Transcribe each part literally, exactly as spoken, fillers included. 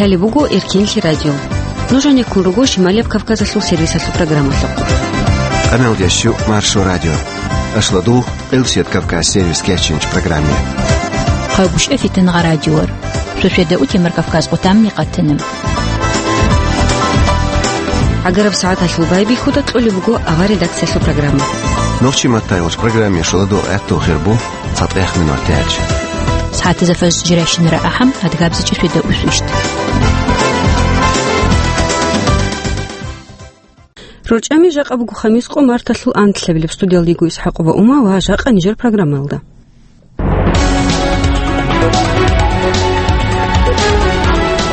Лъалеб буго Эркенлъи радио. Нуж гьанеккун руго Шималияб Кавказалъул сервисалъул программалъухъ. Къамелдящу Маршо радио. Ашлу дугъ Къилсият Кавказ сервис кечинч программе. Хъагушев Фитнагъа радиор. Суседа утемар Кавказ къутамни къатанам. ГӀагараб сагӀаталъул байбихьуда кьолеб буго авар редакциялъул программа. Нохчи маттайгъуч программе шуладу гӀатту хирбу. ЦатӀех минут тяч. СагӀатазда фаз жиращинара ахӀам, адгабзичӀи светда усвищт. РорчӀами жакъа буго хамис къо марталъул анлъабилеб. Студиялда йиго ИсхӀакъова Ума ва жакъа нижер программаялда.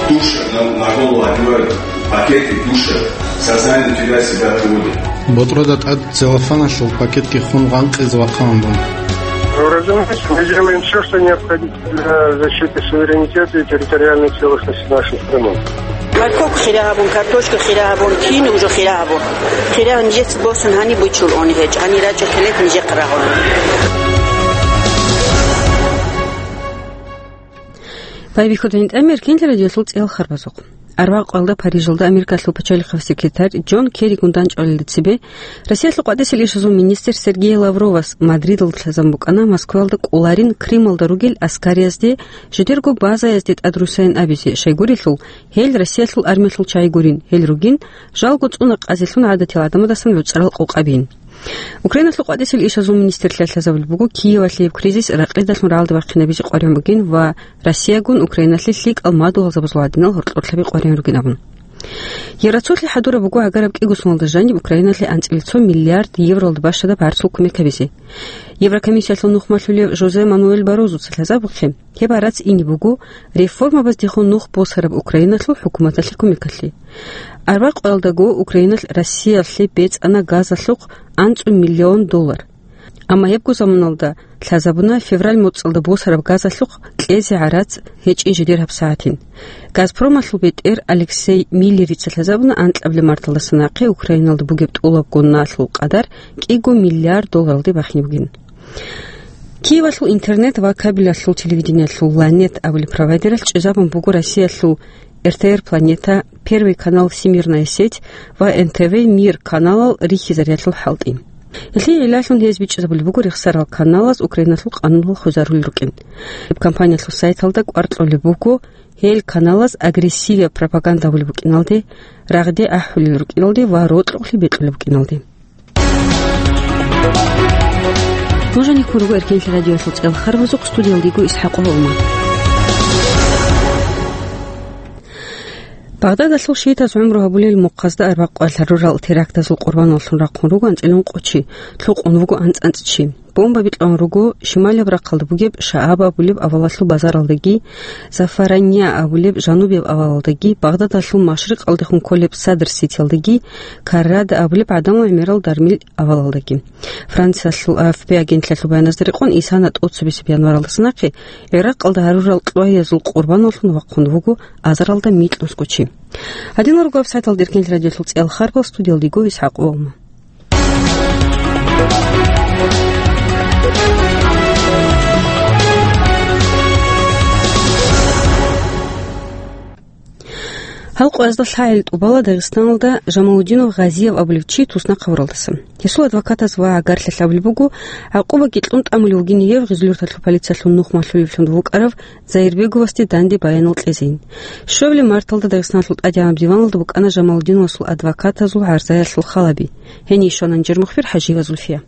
Душа, на, на голову одевают пакеты, душа, сознание теряет себя от воли. БутӀруда тӀад целлофаналъул пакетги хун гъанкъизе вахъана дун. Разумеется, мы делаем всё, что необходимо для защиты суверенитета и территориальной целостности нашей страны. Морковка хира гьабун, картошка хира гьабун, кин уже хира гьабун. Хира нижеца босун гьаниб бучул они гьечӀ, гьанир рачӀа хилет нижехъ рагъун. Байбихьуда гьинтӀам Эркенлъи радиолъул цӀел харбазухъ. Арбагъ къоялда Парижалда Америкалъул пачалихъав секретарь Джон Керригун данчӀвалелда цебе, Россиялъул къватӀисел ишазул министр Сергей Лавровас Мадридалда лъазабун букӀана Москваялда кӀоларин Крымалда ругел аскариязде жидерго базаязде тӀад руссайин абизе, щайгурелъул, гьел Россиялъул армиялъул чагӀи гурин, гьел ругин, жалго цӀуна къазилъун гӀадатиял гӀадамадасан гӀуцӀарал къокъабин. Украиналъул къватӀисел ишазул министрлъиялъ лъазабулеб буго Киевалъияб кризис ракъидалъун рагӀалде бахъинабизе къваригӀун бугин ва Россиягун Украиналъе лъикӀал мадугьалзабазул гьадинал гьоркьорлъаби къваригӀун ругин абун. Ер рацулъи хӀадураб буго гӀагараб кӀиго соналда жаниб Украиналъе анцӀила цо миллиард евролда бащадаб гӀарцул кумек гьабизе. Еврокомиссиялъул нухмалъулев Жозе Мануэль Баррозуца лъазабухъе, гьеб гӀарац ине буго реформабаздехун нух босараб Украиналъул хӀукуматалъе кумекалъе. Арбакъоялдаго Украиналъ Россиялъе бецӀана газалъухъ анцӀу миллион доллар. Амма гьебго заманалда лъазабуна февраль моцӀалда босараб газалъухъ кьезе гӀарац гьечӀин жидер гьабсагӀатин. Газпромалъул бетӀер Алексей Миллерица лъазабуна анкьабилеб марталдаса нахъе Украиналда бугеб тӀолабго налъул къадар кӀиго миллиард долларалде бахине бугин. Киевалъул интернет ва кабелалъул телевидениялъул Ланет абулеб провайдералъ чӀезабун буго Россиялъул Р Т Р Планета, Первый канал Всемирная сеть ва Н Т В Мир каналал рихьизариялъул хӀалтӀи. Гьелъие гӀиллалъун гьез бичӀчӀизабулеб буго рехсарал каналаз Украиналъул къануналъ хвезарулел рукӀин. Гьеб компаниялъул сайталда кӀвар кьолеб буго гьел каналаз агрессивияб пропаганда гьабулеб букӀиналде, рагъде ахӀулел рукӀиналде ва рокьукълъи бекьулеб букӀиналде. Нуж гьанеккун руго Эркенлъи радиоялъул цӀел харбазухъ, студиялда йиго ИсхӀакъова Ума. Багъдадалъул шиитаз гӀумру гьабулел мухъазда арбакъ къоялъ гьарурал терактазул къурбаналлъун рахъун руго анцӀила ункъо чи, лъукъун вуго анцӀ-анцӀ чи. Бомба бикьун руго шималияб рахъалда бугеб Шааб абулеб авалалъул базаралдаги, Зафаранья абулеб жанубияб авалалдаги, Багъдадалъул машрикъалдехун кколеб Садр-Ситиялдаги, Каррада абулеб гӀадамал гӀемерал дармил авалалдаги. Франциялъул А Ф П агентлъиялъул баяназда рекъон, исана тӀоцебесеб январалдаса нахъе ГӀиракъалда гьарурал кьваязул къурбаналлъун вахъун вуго азаралда микьнусго чи. Гьадинал руго гьаб сайталда Эркенлъи радиоялъул цӀел харбал, студиялда йиго ИсхӀакъова Ума. Гьал къоязда лъагӀел тӀубала Дагъистаналда Жамалудинов Гъазиев абулев чи туснахъ гьавуралдаса. Гьесул адвокатаз ва гӀагарлъи абулеб буго, гӀакъубаги кьун тӀамулев вугин гьев Гъизлюрталъул полициялъул нухмалъулевлъун вукӀарав Заирбеговасде данде баянал кьезейин. Щуабилеб марталда Дагъистаналъул тӀадегӀанаб диваналда букӀана Жамалудиновасул адвокатазул гӀарзаялъул халаби. Гьенив щвана нижер мухбир ХӀажиева Зульфия.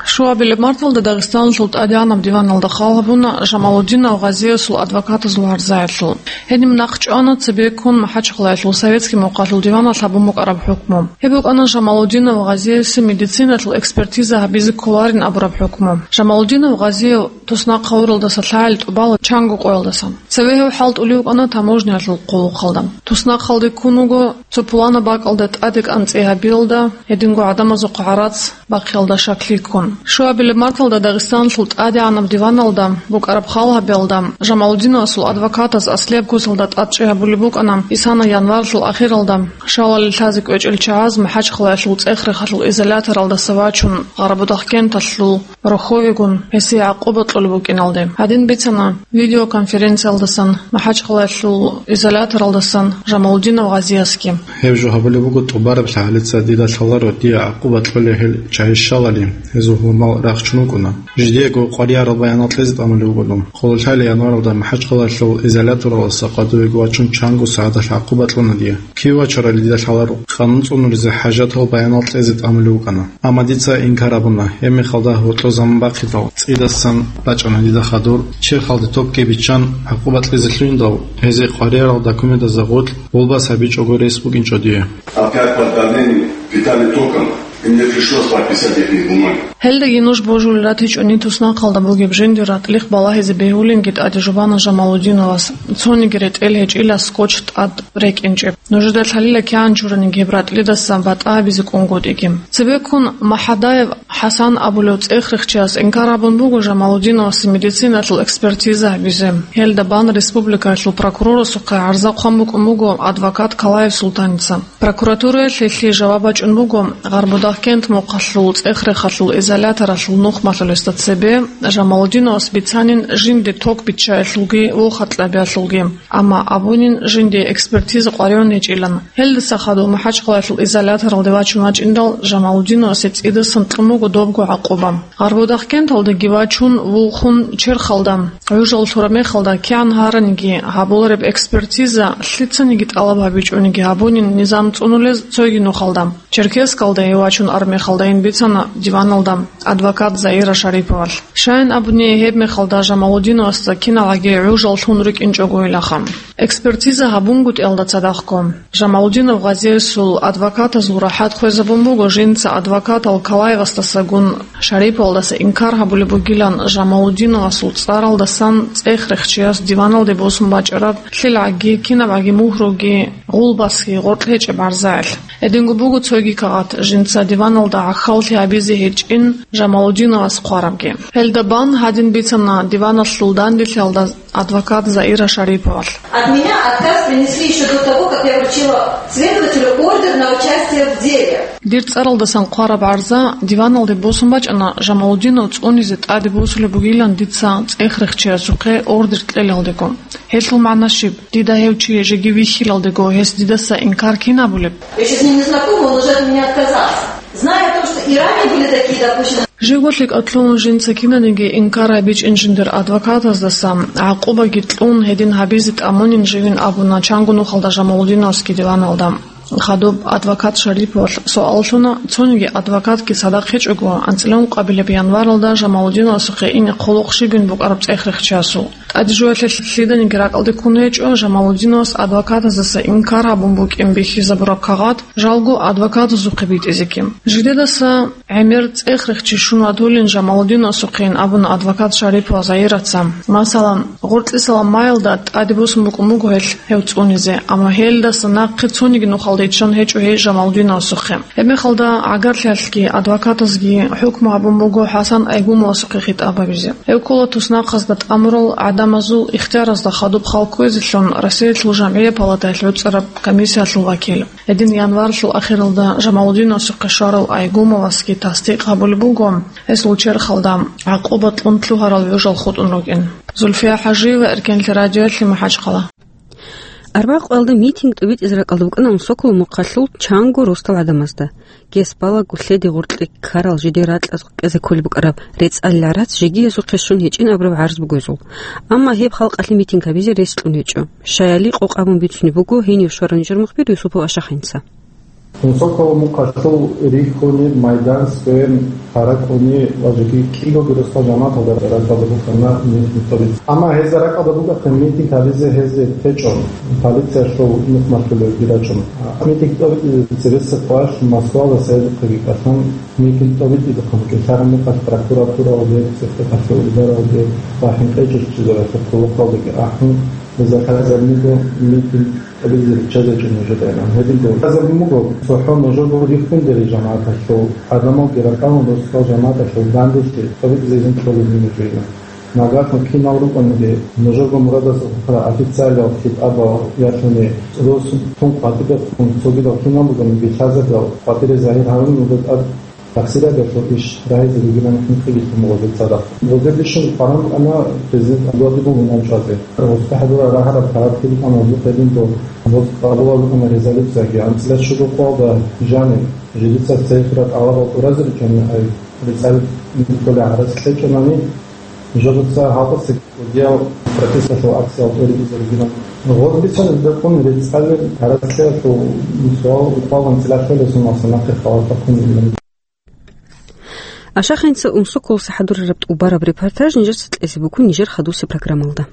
Щуабилеб марталда Дагъистаналъул тӀадегӀанаб диваналда хал гьабуна Жамалудинов Гъазиевасул адвокатазул гӀарзаялъул. Гьениб нахъчӀвана цебеккун МахӀачхъалаялъул советский мухъалъул диваналъ гьабун букӀараб хӀукму. Гьеб букӀана Жамалудинов Гъазиевасе медициналъул экспертиза гьабизе кколарин абураб хӀукму. Жамалудинов Гъазиев туснахъ гьавуралдаса лъагӀел тӀубала чанго къоялдасан. Цеве гьев хӀалтӀулев вукӀана таможниялъул хъулухъалда. Туснахъалде ккун вуго цо пуланаб бакӀалда тӀаде кӀанцӀи гьабиялда, гьединго гӀадамазухъ гӀарац бахъиялда щаклъи ккун. Щуабилеб марталда Дагъистаналъул ТӀадегӀанаб диваналда букӀараб хал гьабиялда, Жамалудиновасул адвокатаз аслияб куцалда тӀадчӀи гьабулеб букӀана бицана январалъул ахиралда, шалалъе лъазе кӀвечӀел чагӀаз МахӀачхъалаялъул ЦӀех-Рехалъул изоляторалдаса вачун, Гъарбудахъкенталъул рохьовегун гьесие гӀакъуба кьолеб букӀиналде. Гьадин бицана видеоконференциялдасан МахӀачхъалаялъул изоляторалдасан Жамалудинов Гъазиясги. Гьеб жо гьабулеб буго тӀубараб лъагӀалица дида лъаларо дие гӀакъуба кьолей гьел чагӀи щалали, гьезул гьумал рахчун вукӀуна. Жидеего къваригӀарал баянал кьезе тӀамулев вуго дун. Хъулулъали январалда МахӀачхъалаялъул изоляторалдаса къватӀивеги вачун чанго сагӀаталъ гӀакъуба кьуна дие. Кив вачарали дида лъаларо, къанун цӀунулезе хӀажатал баянал кьезе тӀамулев вукӀана. Амма дица инкар гьабуна, гьебмехалда гьоркьо заман бахъидал, цӀидасан бачӀана дида хадур, черхалде токги биччан, гӀакъуба кьезе лъугьиндал, гьезие къваригӀарал документазда гъоркь гъулбас гьабичӀого рес букӀинчӀо дие. Опять под давлением питали током, и мне пришлось подписать эти бумаги. Гьелдаги нуж божулел ратичӀони туснахъалда бугеб жиндир ратӀлихъ балагьизе бегьулинги тӀаде жубана Жамалудиновас, цониги ретӀел гьечӀила скотч тӀад рекӀинчӀеб. Нужеда лъалила кигӀан чураниги гьеб ратӀлидаса батӀа гьабизе кӀунгутӀиги. Цебеккун МахӀадаев ХӀасан абулев цӀех-рехчияс инкар гьабун буго Жамалудиновасе медициналъул экспертиза гьабизе. Гьелда бан республикаялъул прокурорасухъе гӀарза хъван букӀун буго адвокат Калаев Султаница. Прокуратураялъ гьелъие жаваб бачӀун буго Гъарбудахъкент мухъалъул ЦӀех-Рехалъул изоляторалъул нухмалъулесда цебе Жамалудиновас бицанин жинде ток биччаялъулги вохатӀлъабиялъулги. Амма абунин жинде экспертиза къваригӀун гьечӀилан. Гьелдаса хадув МахӀачхъалаялъул изоляторалде вачун вачӀиндал, Жамалудиновасе цӀидасан кьун буго добго гӀакъуба. Гъарбудахъкенталдаги вачун, вухун, черхалда гӀужал лъураб мехалда кигӀан гьараниги гьабулареб экспертиза лъицаниги тӀалаб гьабичӀониги гьабунин низам цӀунулез цоги нухалда. Черкесскалдайин вачун армехалдайин бицана диваналда адвокат Заира Шариповалъ. Щайин абуни, гьебмехалда Жамалудиновасда киналгӀаги гӀужал лъун рукӀинчӀогойилаха. Экспертиза гьабунгутӀиялда цадахъго, Жамалудинов Гъазиясул адвокатазул рахӀат хвезабун буго жинца адвокатал Калаевасдасагун Шариповалдаса инкар гьабулеб бугилан Жамалудиновасул цӀаралдасан цӀех-рехчияс диваналде босун бачӀараб лъелгӀаги, кинабгӀаги мугьруги, гъулбасги, гъоркь гьечӀеб гӀарзаялъ. Гьединго буго цоги кагъат, жинца диваналда гӀахьаллъи гьабизе гьечӀин Жамалудиновас хъварабги. Гьелда бан гьадин бицана диваналъул данделъиялда адвокат Заира Шариповалъ. От меня отказ принесли ещё до того, как я вручила следователю ордер на участие в деле. Дир цӀаралдасан хъвараб гӀарза диваналде босун бачӀана Жамалудинов цӀунизе тӀаде босулеб бугилан дица цӀех-рехчиясухъе ордер кьелалдего. Гьелъул магӀна щиб? Дида гьев чи жеги вихьилалдего, гьес дидаса инкар кин абулеб? Я ещё с ним не знакома, он уже от меня отказался. Зная о том, что и ранее были такие допущены. Живго лъикӀалъун жинца кинаниги инкар гьабичӀин жиндир адвокатаздаса гӀакъубаги кьун, гьедин гьабизе тӀамунин живин абуна чанго нухалда Жамалудиновасги диваналда. Хадуб адвокат Шариповалъ суал лъуна, цониги адвокатги цадахъ гьечӀого, анцӀила ункъабилеб январалда Жамалудиновасухъе ине хъулухъ щибин букӀараб цӀех-рехчиясул. ТӀаде жуялъе лъиданиги ракӀалде ккун гьечӀо Жамалудиновас адвокатаздаса инкар гьабун букӀин бихьизабураб кагъат, жалго адвокатазухъе битӀизеги. Жидедаса гӀемер цӀех-рехчи щун ватулин Жамалудиновасухъейин абуна адвокат Шарипова Заираца. Масала, гъоркьисала майилда тӀаде босун букӀун буго гьелъ гьев цӀунизе, амма гьелдаса нахъе цониги нухалде иччан гьечӀо гьей Жамалудиновасухъе. Гьебмехалда гӀагарлъиялъги адвокатазги хӀукму гьабун буго ХӀасан Айгумовасухъе хитӀаб гьабизе. Гьев ккола туснахъазда тӀамурал гӀадамазул ихтияразда хадуб хал кквезелъун Россиялъул жамгӀияб палатаялъ гӀуцӀараб комиссиялъул вакил. Гьедин январалъул ахиралда Жамалудиновасухъе щварав Айгумовасги тасдикъ гьабулеб буго, гьесул черхалда гӀакъуба кьун лъугьарал гӀужал хутӀун рукӀин. Зульфия ХӀажиева, Эркенлъи радиоялъе, МахӀачхъала. Арбякъуялда митинг тӀибитӀизе ракӀалда букӀана Сокол мухъалъул чанго росдал гӀадамазда. Гьес балагу лъеде гъоркье ккарал жидер ракьаз кьезе кколеб букӀараб рецӀал гӀарац жеги гьезухъе щун гьечӀин абураб гӀарз буго гьезул. Амма гьеб халкъалъе митинг гьабизе рес кьун гьечӀо. Щаяли къокъ абун бицунеб буго гьенив щварав нижер мухбир Юсупов Ашахъинца. Сокол мухъалъул рихьуни, майдан, сквер, гьаракьуни ва жеги кӀиго гуресда жамагӀаталда ракӀалда букӀана митинг тӀибитӀизе. Амма гьезда ракӀалда букӀахъин митинг гьабизе гьезие течӀо, полициялъул нухмалъулевги рачӀун. Митинг тӀибитӀизе цебесеб къоялъ Москвалдаса гьезухъеги кӀалъан, митинг тӀибитӀизехъан кӀалъараб мехалъ прокуратуралде, церехъалъе, ударалде ва хӀинкъичӀел чизаралъе хъулухъалдеги ахӀун, Заказ абун буго митинг кьабизе риччазечӀо нужеда, гьединго. Заказ абун буго, цохӀо нужерго риххундери жамагӀаталъул, гӀадамалги ракӀалун росдал жамагӀаталъул данделъи цӀолъизейин кколеб нужеда. Нагагьун кинал рукӀаниги, нужерго мурадасда хутӀарал официалиял хитӀабал ялъуни, росун къватӀибехун цогидал кинал бугониги лъазабиял къватӀире загьир гьарун буго тӀад. Тахсираб гьелъул иш рагьизе ругилан хӀинкъиги лъун буго гьел цадахъ. Гъозде бищун къваран букӀана президент Абдулатипов гьунан чӀвазе. Гъозде хӀадурал рагьараб парадги букӀана гьезухъ гьединго, гъоз къабулаб букӀана резолюцияги. АнцӀила щуго къоялда жаниб жидеца церхъабазул тӀалабал тӀуразе ричӀони, ай рецӀалил кколей гӀарац кьечӀонани, жидеца гьалдаса кӀудиял протесталъул акциял тӀуритӀизе ругилан. Гъоз бицунеб букӀун рецӀалил гӀарацлъиялъул суал укъвал анцӀила лъолесун ва нахъе халатахъун. Ашахинца Унсоколоса хӀадурараб тӀубараб репортаж нижеца кьезе буго нижер хадусеб программалда.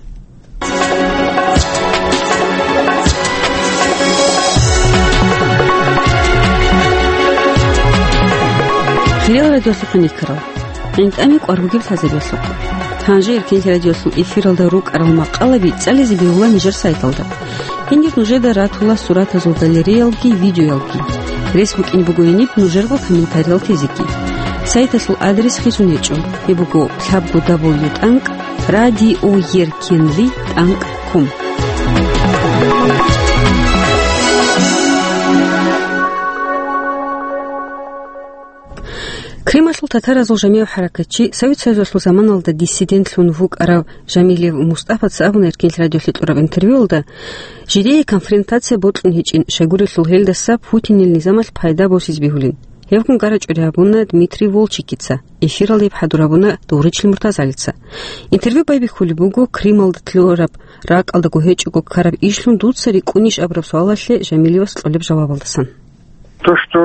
Хириял радиолъухъ никарал. ГӀинтӀами кӀвар бугеб лъазабиялъухъ. Гьанже Эркенлъи радиолъул эфиралда рукӀарал макъалаби цӀализе бегьула нижер сайталда. Гьенир нужеда ратула суратазул галереялги, видеоялги. Рес букӀине буго гьениб нужерго комментариял тезеги. Сайталъул адрес хисун гьечӀо. Гьеб буго лъабго дабл ю тӀанкӀ радиоеркенли тӀанкӀ ком. Крималъул татаразул жамигӀ хӀаракатчи, Совет Союзалъул заманалда диссидентлъун вукӀарав Жамилев Мустафаца абуна Эркенлъи радиолъе кьураб интервьюялда, жидее конфронтация бокьун гьечӀин, щайгурелъул гьелдаса Путинил низамалъ пайда босизе бегьулин. Гьебгун гьаракь гьабуна Дмитрий Волчекица, эфиралда гьеб хӀадур гьабуна Довричил Муртазалица. Интервью байбихьулеб буго Крымалда лъураб ракӀалдаго гьечӀого ккараб ишлъун дуца рикӀкӀунищ абураб суалалъе Жамилевас кьолеб жавабалдасан. То, что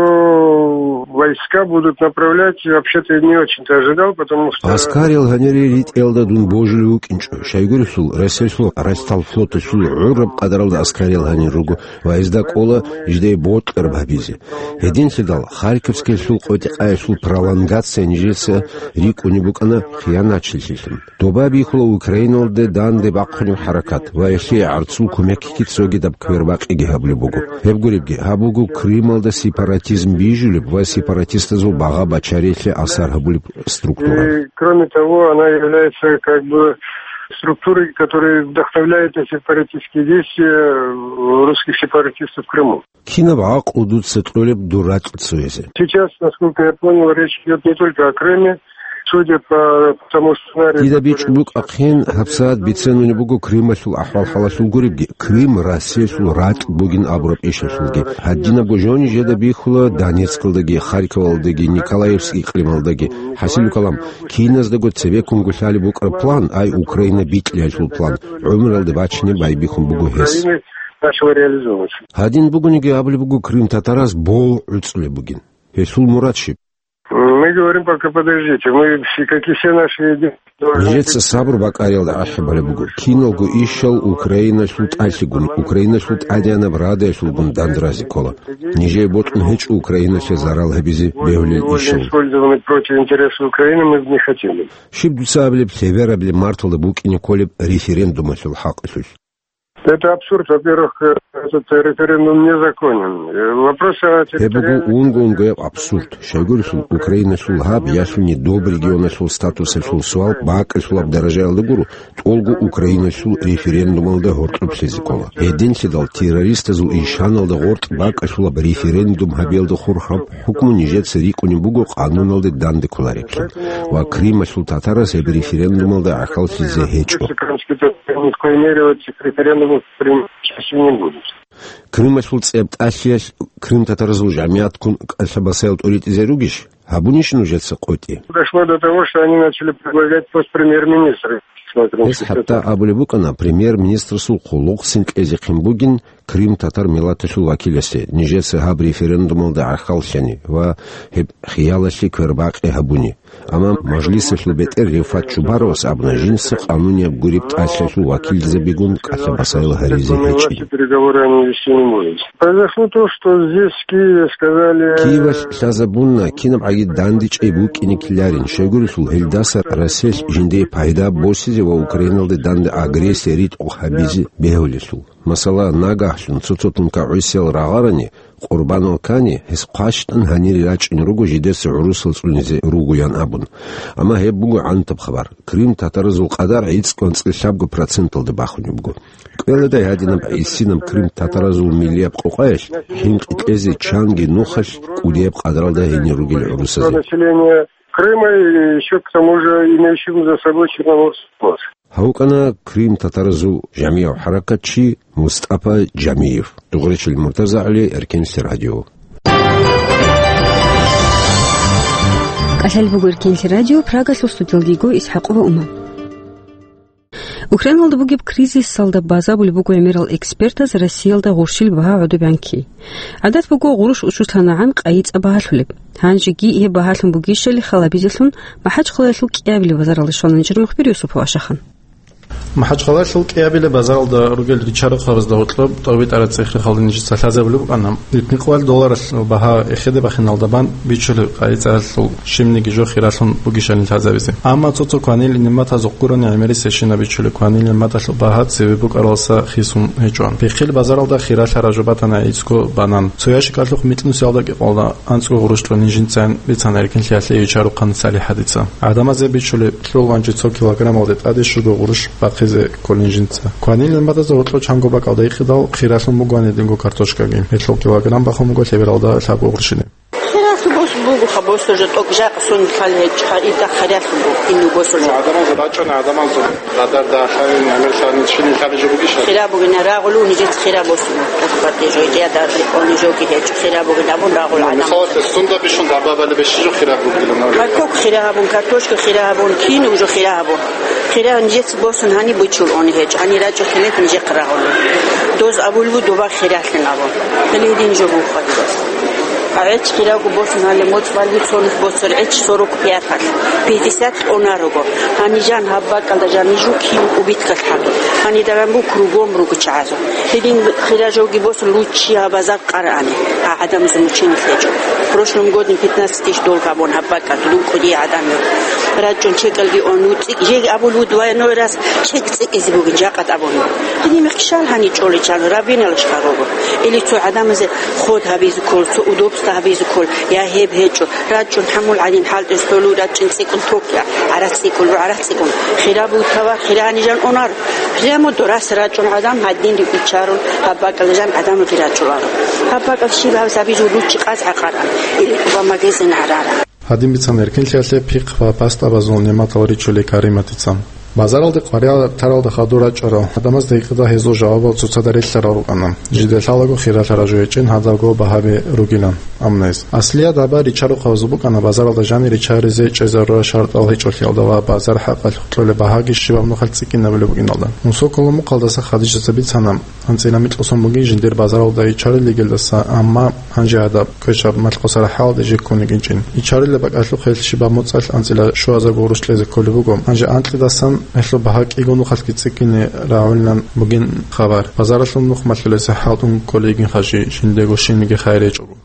войска будут направлять, я вообще-то не очень-то ожидал, потому что... Аскарил гьанире ритӀиялда дун божулев вукӀинчӀо. Щайгурелъул, Россиялъул Ростовфлоталъул гӀураб къадаралда аскарил гьанир руго ва гьезда кӀола жидее бокьараб гьабизе. Гьединлъидал Харьковскиялъул къотӀи-къаялъул пролонгация нижеца рикӀкӀунеб букӀана хиянатчилъилъун. Доба бихьула Украиналде данде бахъунеб хӀаракат ва гьелъие гӀарцул кумекги цогидаб квербакъиги гьабулеб буго. Гьеб гуребги, гьаб буго Крымалда сепаратизм бижулеб ва сепаратистазул багъа-бачариялъе асар гьабулеб структура. И, кроме того, она является как бы структурой, которая вдохновляет на сепаратистские действия русских сепаратистов в Крыму. Кинаб гӀакълу дуца кьолеб дур ракь цоязе? Сейчас, насколько я понял, речь идёт не только о Крыме. Судя по тому сценарию, который... Дида бичӀчӀулеб букӀахъин, гьабсагӀат бицунеб буго Крымалъул ахӀвал-хӀалалъул гуребги, Крым Россиялъул ракь бугин абураб ишалъулги. Гьадинабго жо нижеда бихьула Донецкалдаги, Харьковалдаги, Николаевск икълималдаги. ХӀасилу калам, киназдаго цебеккунго лъалеб букӀараб план, ай Украина бикьиялъул план, гӀумруялде бачине байбихьун буго гьес. Украина начала реализовываться. Гьадин бугониги абулеб буго крымтатараз бо гӀуцӀулеб бугин. Гьелъул мурад щиб? Мы говорим пока, подождите, мы все, как и все наши действия, должны... Нижеца сабру бакӀариялда ахӀи балеб буго. Киналго ишал Украиналъул тӀалъигун, Украиналъул тӀадегӀанаб радаялъулгун дандразе ккола. Нижее бокьун гьечӀо Украиналъе зарал гьабизе бегьулел ишал. Сегодня использованы против интересов Украины, мы не хотим. Щиб дуца абилеб, лъеберабилеб марталда букӀине кколеб референдумалъул хӀакъалъулъ? Это абсурд. Во-первых, э, этот референдум незаконен. Э, вопрос о... Гьеб буго территориальной... унго-унгояб абсурд. Щайгурелъул, Украиналъул гьаб, ялъуни доб регионалъул статусалъул суал бакӀалъулаб даражаялда гуро, тӀолго Украиналъул референдумалда гьоркьоб лъезе ккола. Гьединлъидал террористазул ишаналда гъоркь бакӀалъулаб референдум гьабиялда хурхараб хӀукму нижеца рикӀкӀунеб буго къануналде данде кколареблъун ва Крымалъул татарас гьеб референдумалда гӀахьаллъизе гьечӀо. Крымские татары ни в коей мере в этих референдумах принимать участие не будут. Крымалъул цӀеб тӀалъиялъ крымтатаразул жамигӀатккун кӀалъабасаял тӀуритӀизе ругищ? Гьабунищ нужеца къотӀи? Дошло до того, что они начали предлагать пост премьер-министра. Смотрим, гьес хӀатта абулеб букӀана, премьер-министрасул хъулухъцин кьезехъин бугин, Крым татар миллаталъул вакиласе, нижеца гьаб референдумалда гӀахьаллъани ва гьеб хиялалъе квербакъи гьабуни. Амма мажлисалъул бетӀер Рефат Чубаровас абуна, жинца къанунияб гуреб тӀалъиялъул вакилзабигун кӀалъабасаял гьаризе гьечӀин. Переговоры они вести не могут. Произошло то, что здесь, в Киеве, сказали... Киевалъ лъазабуна, кинабгӀаги дандечӀей букӀине ккеларин, щайгурелъул гьелдаса Россиялъ жиндие пайда босизе ва Украиналде данде агрессия ритӀухъ гьабизе бегьулелъул. Масала, нагагьлъун цо-цо тункагӀусиял рагъарани, къурбанал ккани, гьес хъващтӀун гьанире рачӀун руго жидеца гӀурусал цӀунизе ругоян абун. Амма гьеб буго гӀантаб хабар. Крым татаразул къадар гӀицӀго анцӀила лъабго проценталда бахунеб буго. КӀвеладай гьадинаб гӀисинаб крым татаразул миллияб къокъаялъ, гьинкъи кьезе чанги нухалъ кӀудияб къадралда гьенир ругел гӀурусазе. Население Крыма и ещё к тому же имеющим за собой Черноморский флот. Гьав вукӀана Крым татаразул жамигӀав хӀаракатчи МустӀафа Жамиев. Дугъречил МуртазагӀли, Эркенлъи радио. КӀалъалеб буго Эркенлъи радио, Прагалъул студиялдего ИсхӀакъова Ума. Украиналда бугеб кризисалда базабулеб буго гӀемерал экспертаз Россиялда гъурщил багьа гӀодобегӀан кки. ГӀадат буго, гъурущ учулъанагӀан къайи-цӀа багьалъулеб. Гьанжеги гьеб багьалъун бугищали халабизелъун, МахӀачхъалаялъул кӀиабилеб базаралде щвана нижер мухбир Юсупов Ашахан. МахӀачхъалаялъул кӀиабилеб базаралда ругел ричарухъабазда гьоркьоб тӀовитӀараб цӀех-рехалда нижеца лъазабулеб букӀана. Литникъоялъ долларалъул багьа эхеде бахиналда бан бичулеб къайи-цӀалъул щибниги жо хиралъун бугищали лъазабизе. Амма цо-цо кванил нигӀматазухъ гурони гӀемерисебщинаб бичулеб кванил нигӀматалъул багьа цеве букӀаралдаса хисун гьечӀо. Пехил базаралда хиралъараб жо батана гӀицӀго банан. Цо ящикалъухъ микьнусиялда кӀикъоялда анцӀго гъурущ кьолин жинцайин бицана Эркенлъиялъе ичарухъан СалихӀадица. ГӀадамазе бичулеб лъугьун чи цо килограммалде тӀаде щуго гъурущ бахъизе кколин жинца. Кванил нигӀматазда гьоркьоб чанго бакӀалда ихъидал хиралъун бугони динго картошкаги. Гьелъул килограмм бахун буго лъебералда лъабго гъурщине. Хиралъ бос буго, ха босо жо тӀокӀ жакъ сон хал гьечӀ, ха ида хиралъ буго, инну босо жо. ГӀадамал рачӀана, гӀадамал зо. Гъадарда лъалин, гӀемер лъалин, чилин лъаби жо бугищ? Хира бугин, рагъулу нижец хира босун. Квартир жо, я да, он жоги гьечӀ, хира бугин абун рагъул гӀадамал. Мисалалъе, сунда бищун дабабали бещи жо хира бугилан? Ха кок хира гьабун, картошка хира гьабун, кин уже хира гьабун. Хира нижец босун гьани бучул они гьечӀ, гьани рачӀухъилет нижехъ рагъулу. Доз абулбу доба хиралъин абун. Хилин дин жо бухъадидас. ГӀеч хирав босун гьале моцӀ балбу цонихъ босун гӀеч сорок пяталъ, пятьдесят кьуна руго. Гьанижан гьаб бакӀалда жанижу кин убиткалъ хӀадур. Гьанидаран бу кругом руго чагӀазу. Гьедин хира жоги босун луччи гьаб базар къарани. А гӀадамазул мученилъ гьечӀо. Прошлом годин пятнадцать тысяч долг гьабун гьаб бакӀалда лукӀуди гӀадамил. РачӀун чекалги он уцӀи. Жеги абул вуд вай нойрас чек цӀикӀизе бугин жакъа тӀабун. Гьедин мехкшал гьани чӀоличан рабиналаш гьарого. Или цо гӀадамазе ход гьабизе ккол, цо удобство гьабизе ккол, я гьеб гьечӀо, рачӀун хӀамул гӀадин хӀалтӀи столу рачӀин цӀикӀкӀун токя, гӀарац цӀикӀкӀун, гӀарац цӀикӀкӀун. Хира бугьтава, хира гьанижан онар. Прямо дорас рачӀун гӀадам гьадин рикӀичарун, гьаб бакӀалда жан гӀадамалги рачӀуларо. Гьаб бакӀал щиб гьаб сабижул руччи къаз гӀакъаран, или кӀуба магазин гӀарара. Гьадин бицана Эркенлъиялъе пихъ ва пастабазул нематал ричулей Кариматица. Базаралде къваригӀараб таралда хадур рачӀарал гӀадамазда гьикъида гьезул жавабал цоцазда релълъарал рукӀана. Жиде лъалаго хиралъараб жо гьечӀин гьадалго багьаби ругилан. Амма гьез аслияб даба ричарухъабазул букӀана базаралда жанир ричаризе чӀезарурал шартӀал гьечӀолъиялда ва базар хӀакъалъулъ кьолеб багьаги щибаб нухалъ цӀикӀкӀинабулеб букӀиналда. Мусоколо мукъалдаса Хадижатица бицана, анцӀила микьго сон бугин жиндир базаралда ичарилигелдаса, амма гьанже гьадаб квешаб малъкъосараб хӀалалде жи ккун йигинчӀин. Ичарилеб бакӀалъухъ гьелъ щибаб моцӀалъ анцӀила щуазарго гъурущ кьезе кколеб буго. Гьанже анкьидасан гьелъул багьа кӀиго нухалъги цӀикӀкӀине рагӀулилан бугин хабар. Базаралъул нух малъулеса хӀалтӀун кколей йигин хъажи, жиндего щибниги хайир гьечӀого.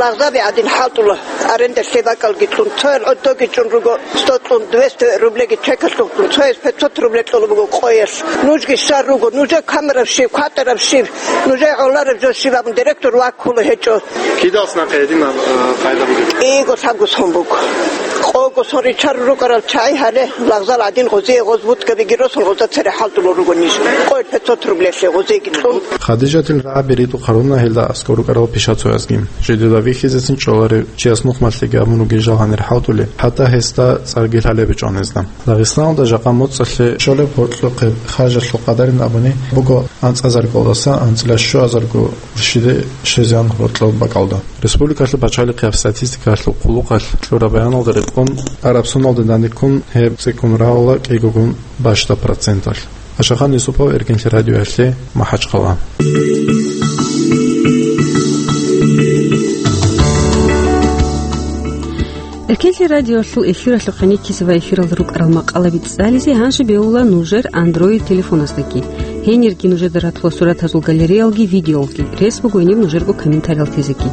Лагъзаби гӀадин хӀалтӀула, аренда лъе бакӀалги кьун, цоял гӀодоги чӀун руго, сто кьун, двести рублеги чекалъухъ кьун, цояс пятьсот рубле кьола буго къоялъ. Нужги щар руго, нужер камераб щиб, кватӀараб щиб, нужер гӀолараб жо щиб абун директор ваккула гьечӀо. Кидалъ нахъе гьединаб, э, къайда бугеб? Иго лъабго сон буго. Къого сон ричарун рукӀарал чагӀи гьале, лагъзал гӀадин гъозие гъоз вудкабиги росун гъозда цере хӀалтӀулел руго ниж. Къоялъ пятьсот рублелъе гъозиеги кьун. Хадижатил рагӀаби ритӀухъ гьаруна гьелда аскӀор рукӀарал пишацоязги. Жидеда вихьизецин чӀоларев чияс нух малъиги абун ругин жал гьанир хӀалтӀулел, хӀатта гьесда цӀарги лъалеб гьечӀо гьезда. Дагъистаналда жакъа моцӀалъе щолеб гьоркьохъеб харжалъул къадарин абуни буго анцӀазаргалдаса анцӀила щуазарго уршиде щезегӀан гьоркьоб бакӀалда. Республикалъул пачалихъияб статистикалъул хъулухъалъ кьураб баяналда рекъон, араб соналда данде ккун гьеб цӀикӀкӀун рагӀула кӀигогун бащдаб проценталъ. Ашахан Юсупов, Эркенлъи радиоялъе, МахӀачхъала. Эркенлъи радиоялъул эфиралъухъ гӀенеккизе ва эфиралда рукӀарал макъалаби цӀализе гьанже бегьула нужер Android телефоназдаги. Гьенирги нужеда ратула суратазул галереялги видеоялги. Рес буго гьениб нужерго комментариял тезеги.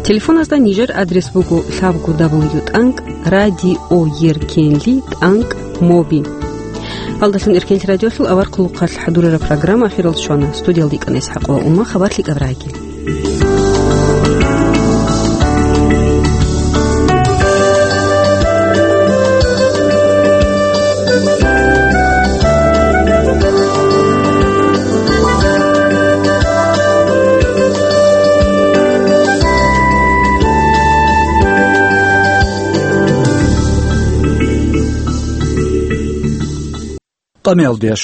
Телефоназда нижер адрес буго лъабго дабл ю тӀанкӀ радиоеркенли тӀанкӀ моби. Гьалдалъун Эркенлъи радиолъул авар хъулухъалъ хӀадурараб программа ахирал щвана. Студиялда икӀана ИсхӀакъова Ума, хабарлъи кӀаб раги. Къамиялдияс